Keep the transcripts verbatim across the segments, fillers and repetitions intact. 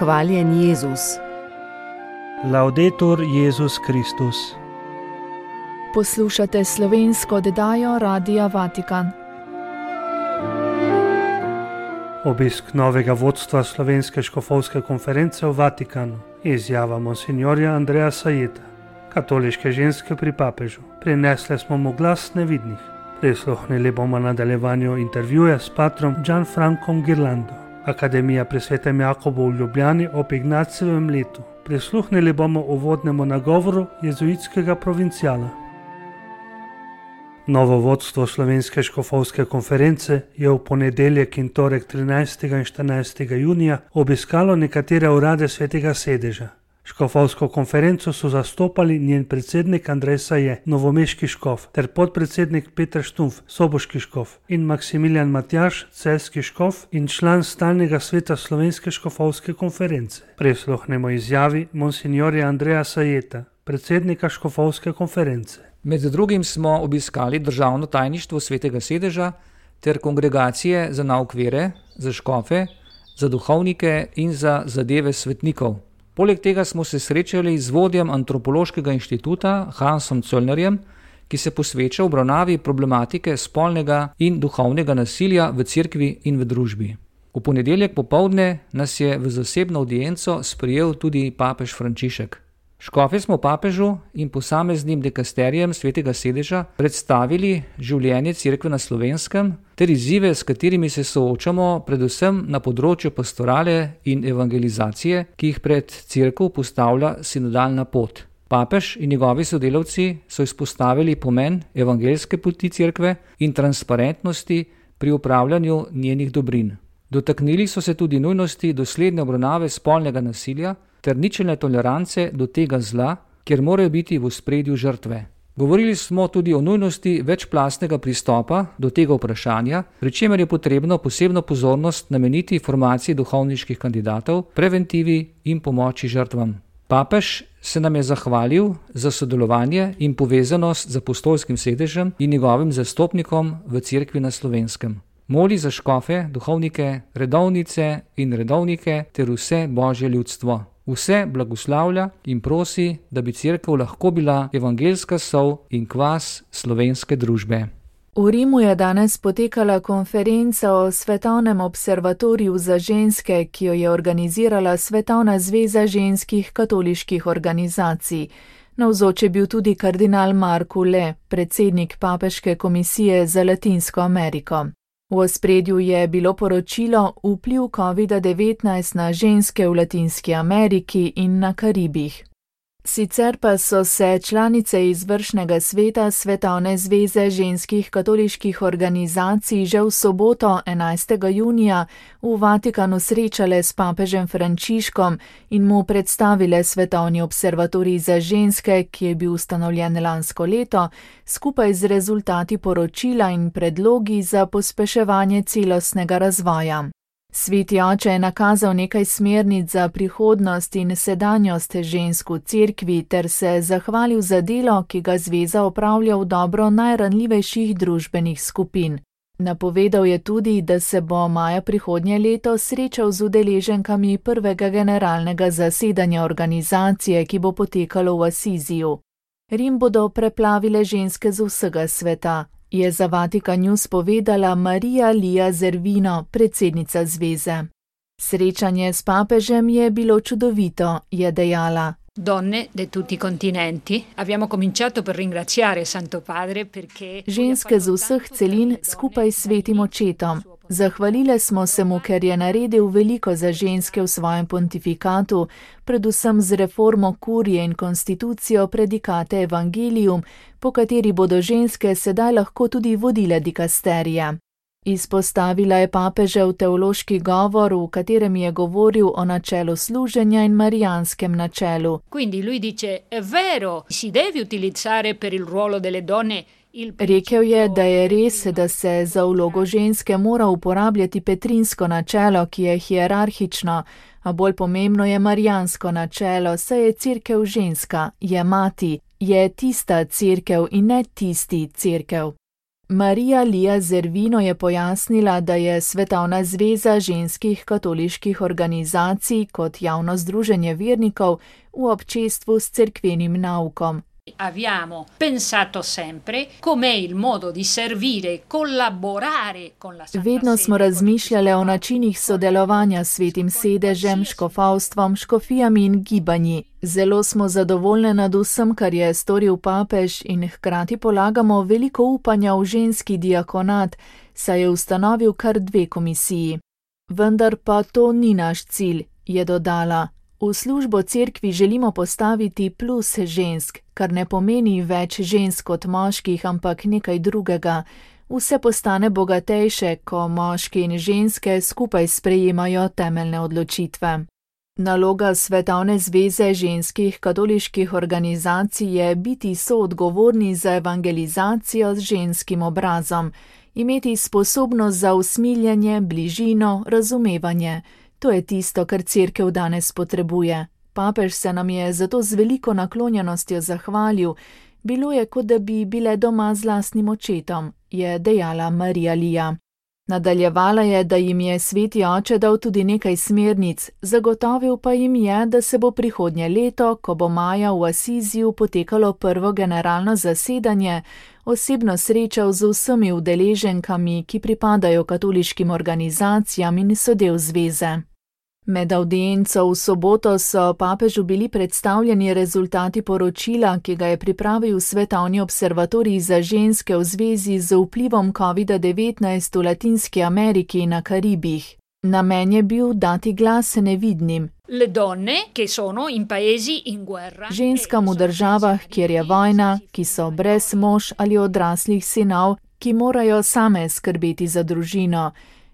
Hvaljen Jezus. Laudetur Jezus Kristus. Poslušate slovensko oddajo Radia Vatikan. Obisk novega vodstva Slovenske škofovske konference v Vatikanu. Izjava monsinjorja Andreja Sajeta. Katoliške ženske pri papežu. Prinesle smo mu glas nevidnih. Prisluhnili bomo nadaljevanju intervjuja s patrom Gianfrancom Ghirlando. Akademija pri Svetem Jakobu v Ljubljani ob Ignacijevem letu. Prisluhnili bomo uvodnemu nagovoru jezuitskega provincijala. Novo vodstvo Slovenske škofovske konference je v ponedeljek in torek trinajstega in štirinajstega junija obiskalo nekatere urade Svetega sedeža. Škofovsko konferenco so zastopali njen predsednik Andrej Saje, novomeški škof, ter podpredsednik Peter Štumpf, soboški škof, in Maksimilijan Matjaž, celjski škof in član stalnega sveta Slovenske škofovske konference. Prisluhnemo izjavi monsinjorja Andreja Sajeta, predsednika škofovske konference. Med drugim smo obiskali državno tajništvo Svetega sedeža ter kongregacije za nauk vere, za škofe, za duhovnike in za zadeve svetnikov. Poleg tega smo se srečali z vodjem antropološkega inštituta Hansom Cöllnerjem, ki se posveča obravnavi problematike spolnega in duhovnega nasilja v cerkvi in v družbi. V ponedeljek popoldne nas je v zasebno avdienco sprejel tudi papež Frančišek. Škofe smo papežu in posameznim dekasterijem Svetega sedeža predstavili življenje cerkve na Slovenskem ter izzive, s katerimi se soočamo predvsem na področju pastorale in evangelizacije, ki jih pred cerkev postavlja sinodalna pot. Papež in njegovi sodelavci so izpostavili pomen evangeljske poti cerkve in transparentnosti pri upravljanju njenih dobrin. Dotaknili so se tudi nujnosti dosledne obravnave spolnega nasilja ter ničelne tolerance do tega zla, kjer morajo biti v ospredju žrtve. Govorili smo tudi o nujnosti večplastnega pristopa do tega vprašanja, pri čemer je potrebno posebno pozornost nameniti formaciji duhovniških kandidatov, preventivi in pomoči žrtvam. Papež se nam je zahvalil za sodelovanje in povezanost z apostolskim sedežem in njegovim zastopnikom v cerkvi na Slovenskem. Moli za škofe, duhovnike, redovnice in redovnike ter vse božje ljudstvo. Vse blagoslavlja in prosi, da bi cerkev lahko bila evangeljska sol in kvas slovenske družbe. V Rimu je danes potekala konferenca o Svetovnem observatoriju za ženske, ki jo je organizirala Svetovna zveza ženskih katoliških organizacij. Navzoč je bil tudi kardinal Marko Le, predsednik papeške komisije za Latinsko Ameriko. V ospredju je bilo poročilo vpliv kovida devetnajst na ženske v Latinski Ameriki in na Karibih. Sicer pa so se članice izvršnega sveta Svetovne zveze ženskih katoliških organizacij že v soboto enajstega junija v Vatikanu srečale s papežem Frančiškom in mu predstavile Svetovni observatorij za ženske, ki je bil ustanovljen lansko leto, skupaj z rezultati poročila in predlogi za pospeševanje celostnega razvoja. Sveti oče je nakazal nekaj smernic za prihodnost in sedanjost žensk v cerkvi ter se zahvalil za delo, ki ga zveza opravlja v dobro najranljivejših družbenih skupin. Napovedal je tudi, da se bo maja prihodnje leto srečal z udeleženkami prvega generalnega zasedanja organizacije, ki bo potekalo v Asiziju. Rim bodo preplavile ženske z vsega sveta, je za Vatikan News povedala Marija Lija Zervino, predsednica zveze. Srečanje s papežem je bilo čudovito, je dejala. Donne di tutti i continenti, abbiamo cominciato per ringraziare Santo Padre perché ženske z vseh celin skupaj s svetim očetom. Zahvalile smo se mu, ker je naredil veliko za ženske v svojem pontifikatu, predvsem z reformo kurije in konstitucijo predikate Evangelium, po kateri bodo ženske sedaj lahko tudi vodile dikasterije. Izpostavila je papežev teološki govor, v katerem je govoril o načelu služenja in marijanskem načelu. Quindi lui dice, è vero, si deve utilizzare per il ruolo delle donne. Rekel je, da je res, da se za vlogo ženske mora uporabljati petrinsko načelo, ki je hierarhično, a bolj pomembno je marijansko načelo, saj je cerkev ženska, je mati, je tista cerkev in ne tisti cerkev. Marija Lija Zervino je pojasnila, da je Svetovna zveza ženskih katoliških organizacij kot javno združenje vernikov v občestvu s cerkvenim naukom. Abbiamo pensato sempre com'è il modo di servire, collaborare con la Santa Vedno smo Sede, razmišljali o načinih sodelovanja s Svetim sedežem, škofovstvom, škofijami in gibanji. Zelo smo zadovoljni nad vsem, kar je storil papež, in hkrati polagamo veliko upanja v ženski diakonat, saj je ustanovil kar dve komisiji. Vendar pa to ni naš cilj, je dodala. V službo cerkvi želimo postaviti plus žensk, kar ne pomeni več žensk kot moških, ampak nekaj drugega. Vse postane bogatejše, ko moški in ženske skupaj sprejemajo temeljne odločitve. Naloga Svetovne zveze ženskih katoliških organizacij je biti soodgovorni za evangelizacijo z ženskim obrazom, imeti sposobnost za usmiljenje, bližino, razumevanje. To je tisto, kar cerkev danes potrebuje. Papež se nam je zato z veliko naklonjenostjo zahvalil. Bilo je, kot da bi bile doma z lastnim očetom, je dejala Marija Lija. Nadaljevala je, da jim je sveti oče dal tudi nekaj smernic, zagotovil pa jim je, da se bo prihodnje leto, ko bo maja v Asiziju potekalo prvo generalno zasedanje, osebno srečal z vsemi udeleženkami, ki pripadajo katoliškim organizacijam in so del zveze. Med avdienco v soboto so papežu bili predstavljeni rezultati poročila, ki ga je pripravil Svetovni observatorij za ženske v zvezi z vplivom kovida devetnajst v Latinski Ameriki in na Karibih. Namen je bil dati glas nevidnim. Le donne, che sono in paesi in guerra. Ženskam v državah, kjer je vojna, ki so brez mož ali odraslih sinov, ki morajo same skrbeti za družino.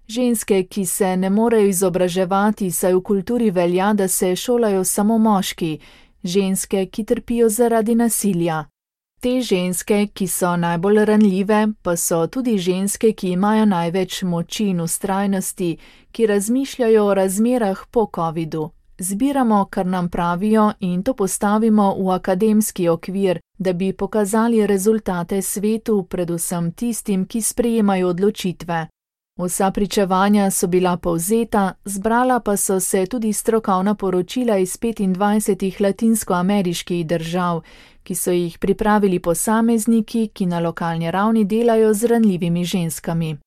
Ženske, ki se ne morejo izobraževati, saj v kulturi velja, da se šolajo samo moški. Ženske, ki trpijo zaradi nasilja. Te ženske, ki so najbolj ranljive, pa so tudi ženske, ki imajo največ moči in vztrajnosti, ki razmišljajo o razmerah po covidu. Zbiramo, kar nam pravijo, in to postavimo v akademski okvir, da bi pokazali rezultate svetu, predvsem tistim, ki sprejemajo odločitve. Vsa pričevanja so bila povzeta, zbrala pa so se tudi strokovna poročila iz petindvajsetih latinskoameriških držav, ki so jih pripravili posamezniki, ki na lokalni ravni delajo z ranljivimi ženskami.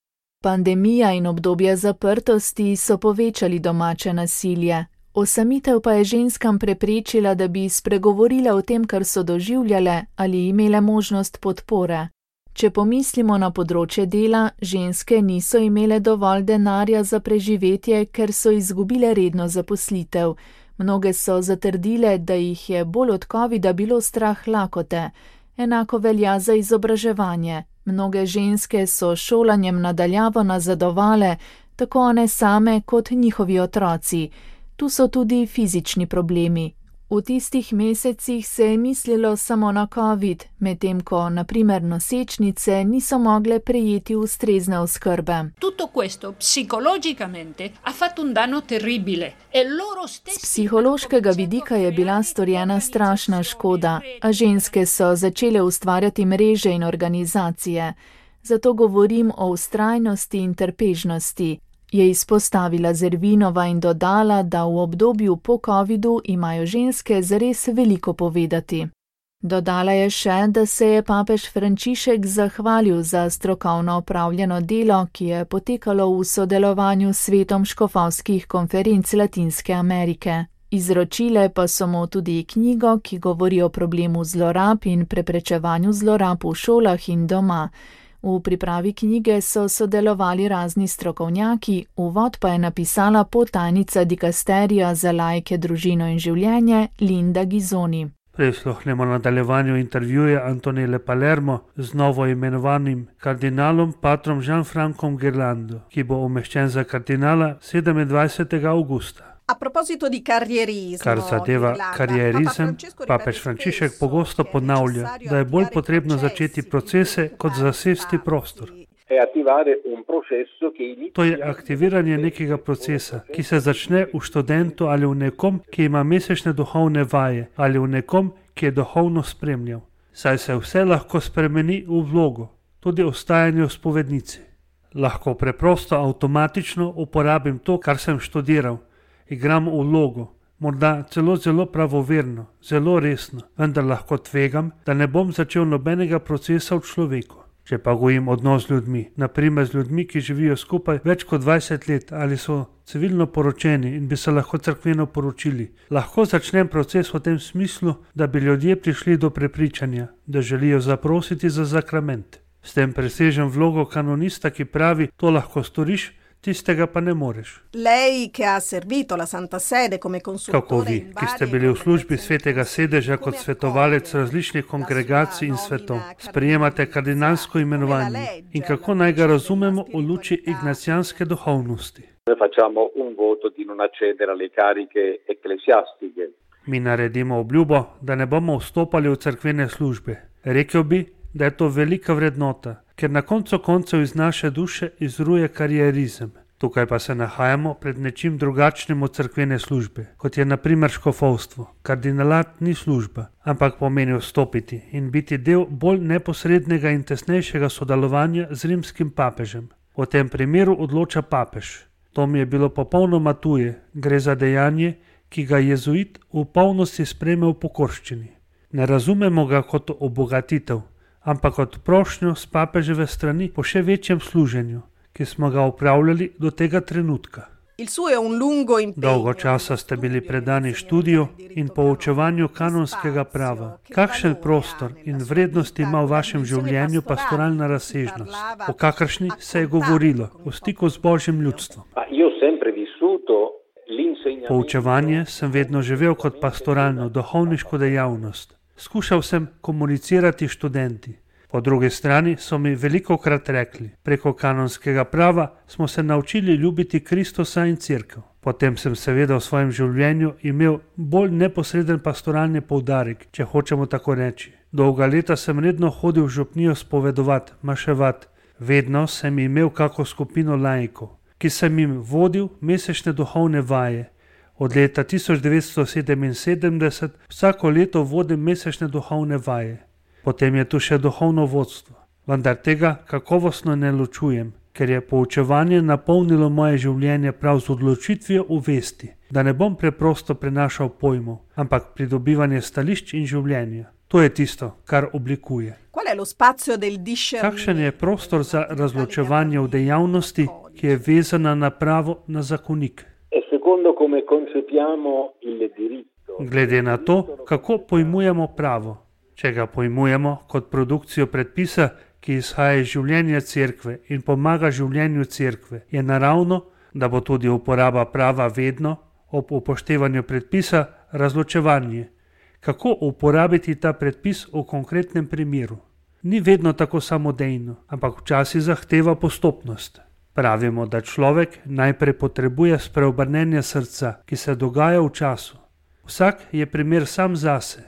Pandemija in obdobja zaprtosti so povečali domače nasilje. Osamitev pa je ženskam preprečila, da bi spregovorile o tem, kar so doživljale, ali imele možnost podpore. Če pomislimo na področje dela, ženske niso imele dovolj denarja za preživetje, ker so izgubile redno zaposlitev. Mnoge so zatrdile, da jih je bolj od covida bilo strah lakote. Enako velja za izobraževanje. Mnoge ženske so šolanjem nadaljavo nazadovale, tako one same kot njihovi otroci. Tu so tudi fizični problemi. V tistih mesecih se je mislilo samo na covid, medtem ko, na primer, nosečnice niso mogle prejeti ustrezne oskrbe. Tutto questo psicologicamente ha fatto un danno terribile e loro stessi. Z psihološkega vidika je bila storjena strašna škoda, a ženske so začele ustvarjati mreže in organizacije. Zato govorim o vztrajnosti in trpežnosti. Je izpostavila Zervinova in dodala, da v obdobju po covidu imajo ženske zares veliko povedati. Dodala je še, da se je papež Frančišek zahvalil za strokovno opravljeno delo, ki je potekalo v sodelovanju s svetom škofovskih konferenc Latinske Amerike. Izročile pa so mu tudi knjigo, ki govori o problemu zlorab in preprečevanju zlorab v šolah in doma. V pripravi knjige so sodelovali razni strokovnjaki, uvod pa je napisala podtajnica dikasterija za laike, družino in življenje Linda Gizoni. Prisluhnemo nadaljevanju intervjuja Antonele Palermo z novo imenovanim kardinalom patrom Gianfrancom Ghirlando, ki bo umeščen za kardinala sedemindvajsetega avgusta. A proposito di carrierismo, Kar zadeva karierizem, papež Frančišek pogosto ponavlja, da je bolj potrebno začeti procese, kot zasesti prostor. To je aktiviranje nekega procesa, ki se začne v študentu ali v nekom, ki ima mesečne duhovne vaje, ali v nekom, ki je duhovno spremljal. Saj se vse lahko spremeni v vlogo. tudi ostajanje v spovednici. Lahko preprosto avtomatično uporabim to, kar sem študiral, igram vlogo, morda celo zelo pravoverno, zelo resno, vendar lahko tvegam, da ne bom začel nobenega procesa v človeku. Če pa gojim odnos z ljudmi, naprimer z ljudmi, ki živijo skupaj več kot dvajset let ali so civilno poročeni in bi se lahko cerkveno poročili, lahko začnem proces v tem smislu, da bi ljudje prišli do prepričanja, da želijo zaprositi za sakrament. S tem presežem vlogo kanonista, ki pravi, to lahko storiš, tistega pa ne moreš. Lei che ha servito la Santa Sede come consultore. Kako vi, ki ste bili v službi Svetega sedeža kot svetovalec različnih kongregacij in svetov, sprejemate kardinalsko imenovanje in kako naj ga razumemo v luči ignacijanske duhovnosti? Facciamo un voto di non accedere alle cariche ecclesiastiche. Mi naredimo obljubo, da ne bomo vstopali v cerkvene službe. Rekel bi, da je to velika vrednota, ker na koncu koncev iz naše duše izruje karierizem. Tukaj pa se nahajamo pred nečim drugačnim od cerkvene službe, kot je na primer škofovstvo. Kardinalat ni služba, ampak pomeni vstopiti in biti del bolj neposrednega in tesnejšega sodelovanja z rimskim papežem. V tem primeru odloča papež. To mi je bilo popolnoma tuje, gre za dejanje, ki ga jezuit v polnosti sprejme v pokorščini. Ne razumemo ga kot obogatitev, ampak kot prošnjo s papeževe strani po še večjem služenju, ki smo ga upravljali do tega trenutka. Dolgo časa ste bili predani študiju in poučevanju kanonskega prava. Kakšen prostor in vrednost ima v vašem življenju pastoralna razsežnost, o kakršni se je govorilo v stiku z Božjim ljudstvom? Poučevanje sem vedno živel kot pastoralno, duhovniško dejavnost. Skušal sem komunicirati študenti. Po drugi strani so mi velikokrat rekli, preko kanonskega prava smo se naučili ljubiti Kristusa in cerkev. Potem sem seveda v svojem življenju imel bolj neposreden pastoralni poudarek, če hočemo tako reči. Dolga leta sem redno hodil v župnijo spovedovat, maševat. Vedno sem imel kako skupino laikov, ki sem jim vodil mesečne duhovne vaje. Od leta tisoč devetsto sedeminsedemdeset vsako leto vodim mesečne duhovne vaje. Potem je tu še duhovno vodstvo. Vendar tega kakovostno ne ločujem, ker je poučevanje napolnilo moje življenje prav z odločitvijo v vesti, da ne bom preprosto prenašal pojmov, ampak pridobivanje stališč in življenja. To je tisto, kar oblikuje. Kakšen je prostor za razločevanje v dejavnosti, ki je vezana na pravo, na zakonik? Glede na to, kako pojmujemo pravo. Če ga pojmujemo kot produkcijo predpisa, ki izhaja iz življenja cerkve in pomaga življenju cerkve, je naravno, da bo tudi uporaba prava vedno, ob upoštevanju predpisa, razločevanje. Kako uporabiti ta predpis v konkretnem primeru? Ni vedno tako samodejno, ampak včasih zahteva postopnost. Pravimo, da človek najprej potrebuje spreobrnenje srca, ki se dogaja v času. Vsak je primer sam zase.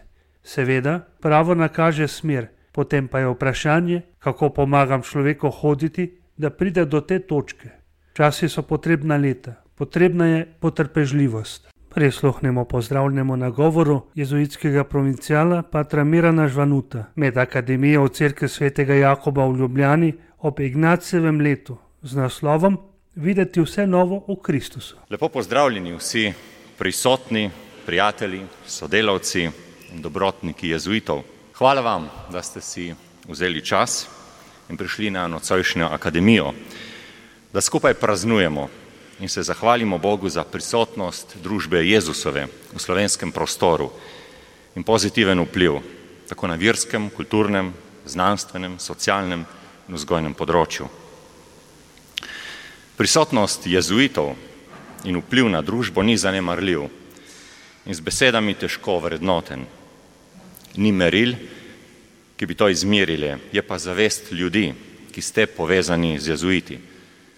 Seveda, pravo nakaže smer, potem pa je vprašanje, kako pomagam človeku hoditi, da pride do te točke. Časi so potrebna leta, potrebna je potrpežljivost. Prisluhnemo pozdravljenemu nagovoru jezuitskega provincijala patra Mirana Žvanuta med Akademijo v Cerkvi svetega Jakoba v Ljubljani ob Ignacijevem letu z naslovom Videti vse novo v Kristusu. Lepo pozdravljeni vsi prisotni, prijatelji, sodelavci in dobrotniki jezuitov. Hvala vam, da ste si vzeli čas in prišli na nocojšnjo akademijo, da skupaj praznujemo in se zahvalimo Bogu za prisotnost družbe Jezusove v slovenskem prostoru in pozitiven vpliv tako na verskem, kulturnem, znanstvenem, socialnem in vzgojnem področju. Prisotnost jezuitov in vpliv na družbo ni zanemarljiv in z besedami težko vrednoten. Ni meril, ki bi to izmerili, je pa zavest ljudi, ki ste povezani z jezuiti.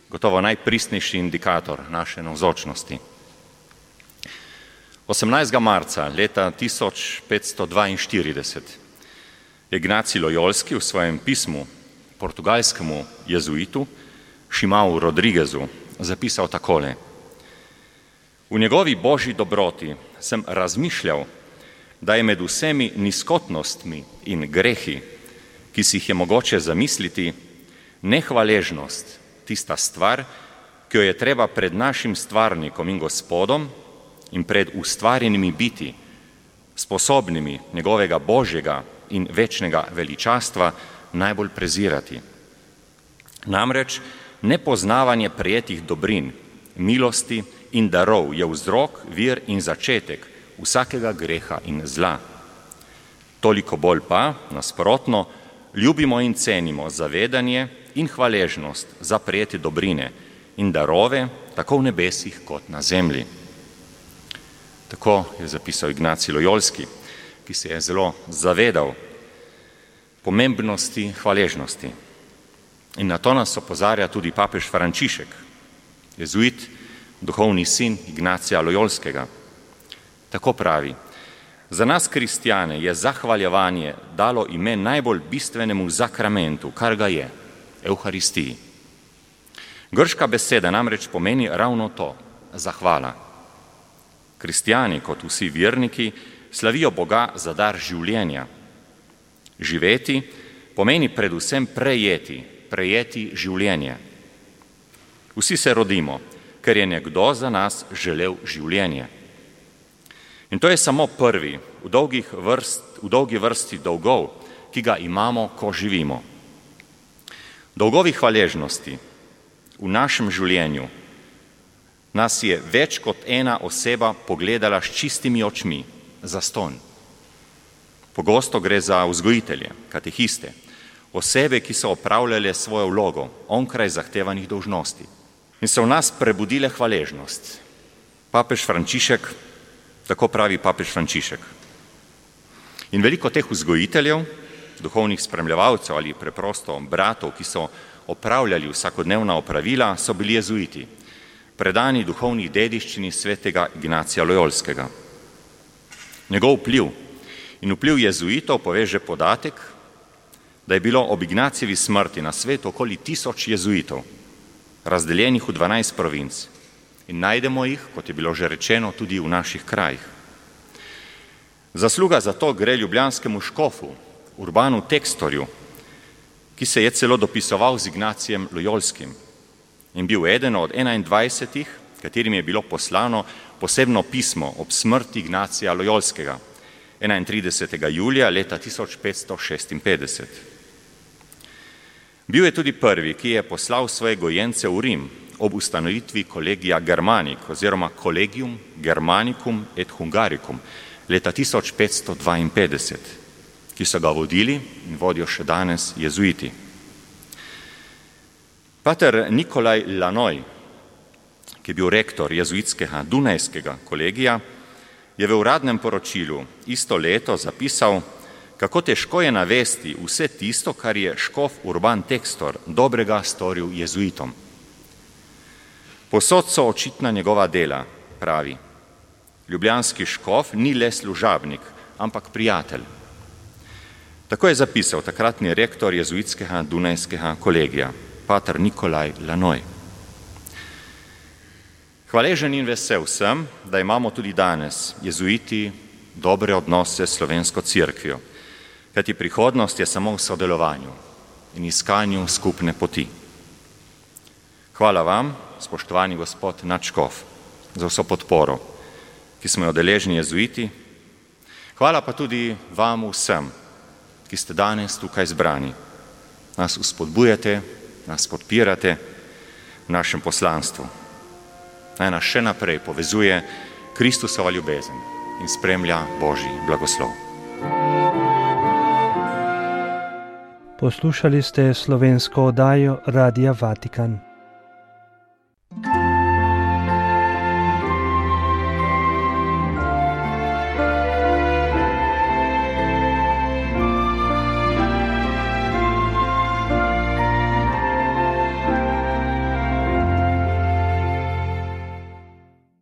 Gotovo najpristnejši indikator naše navzočnosti. osemnajstega marca leta tisoč petsto dvainštirideset je Ignacij Lojolski v svojem pismu portugalskemu jezuitu Šimau Rodrigezu zapisal takole. V njegovi božji dobroti sem razmišljal, da je med vsemi nizkotnostmi in grehi, ki si jih je mogoče zamisliti, Nehvaležnost, tista stvar, ki jo je treba pred našim stvarnikom in Gospodom in pred ustvarjenimi biti, sposobnimi njegovega božjega in večnega veličastva, najbolj prezirati. Namreč nepoznavanje prejetih dobrin, milosti in darov je vzrok, vir in začetek vsakega greha in zla. Toliko bolj pa, nasprotno, ljubimo in cenimo zavedanje in hvaležnost za prejete dobrine in darove, tako v nebesih kot na zemlji. Tako je zapisal Ignacij Lojolski, ki se je zelo zavedal pomembnosti hvaležnosti. In na to nas opozarja tudi papež Frančišek, jezuit, duhovni sin Ignacija Lojolskega. Tako pravi: za nas kristjane je zahvaljevanje dalo ime najbolj bistvenemu zakramentu, kar ga je, Evharistiji. Grška beseda namreč pomeni ravno to, zahvala. Kristjani, kot vsi verniki, slavijo Boga za dar življenja. Živeti pomeni predvsem prejeti, prejeti življenje. Vsi se rodimo, ker je nekdo za nas želel življenje. In to je samo prvi v, dolgih vrst, v dolgi vrsti dolgov, ki ga imamo, ko živimo. Dolgovi hvaležnosti v našem življenju nas je več kot ena oseba pogledala s čistimi očmi, zastonj. Pogosto gre za vzgojitelje, katehiste, osebe, ki so opravljale svojo vlogo onkraj zahtevanih dolžnosti in so v nas prebudile hvaležnost. Papež Frančišek, tako pravi papež Frančišek. In veliko teh vzgojiteljev, duhovnih spremljevalcev ali preprosto bratov, ki so opravljali vsakodnevna opravila, so bili jezuiti, predani duhovni dediščini svetega Ignacija Lojolskega. Njegov vpliv in vpliv jezuitov poveže podatek, da je bilo ob Ignacijevi smrti na svetu okoli tisoč jezuitov, razdeljenih v dvanajst provinc. In najdemo jih, kot je bilo že rečeno, tudi v naših krajih. Zasluga za to gre ljubljanskemu škofu, Urbanu Textorju, ki se je celo dopisoval z Ignacijem Lojolskim in bil eden od enaindvajsetih, katerim je bilo poslano posebno pismo ob smrti Ignacija Lojolskega, enaintridesetega julija leta tisoč petsto šestinpetdeset. Bil je tudi prvi, ki je poslal svoje gojence v Rim ob ustanovitvi Collegia Germanic oziroma Collegium Germanicum et Hungaricum leta tisoč petsto dvainpetdeset, ki so ga vodili in vodijo še danes jezuiti. Pater Nikolaj Lanoj, ki je bil rektor jezuitskega Dunajskega kolegija, je v uradnem poročilu isto leto zapisal, kako težko je navesti vse tisto, kar je škof Urban Textor dobrega storil jezuitom. Posod so očitna njegova dela, pravi. Ljubljanski škof ni le služabnik, ampak prijatelj. Tako je zapisal takratni rektor jezuitskega Dunajskega kolegija, pater Nikolaj Lanoj. Hvaležen in vesel sem, da imamo tudi danes jezuiti dobre odnose s slovensko cerkvijo, kajti prihodnost je samo v sodelovanju in iskanju skupne poti. Hvala vam, spoštovani gospod nadškof, za vso podporo, ki smo jo deležni jezuiti. Hvala pa tudi vam vsem, ki ste danes tukaj zbrani. Nas vzpodbujate, nas podpirate v našem poslanstvu. Naj nas še naprej povezuje Kristusova ljubezen in spremlja Božji blagoslov. Poslušali ste slovensko oddajo Radia Vatikan.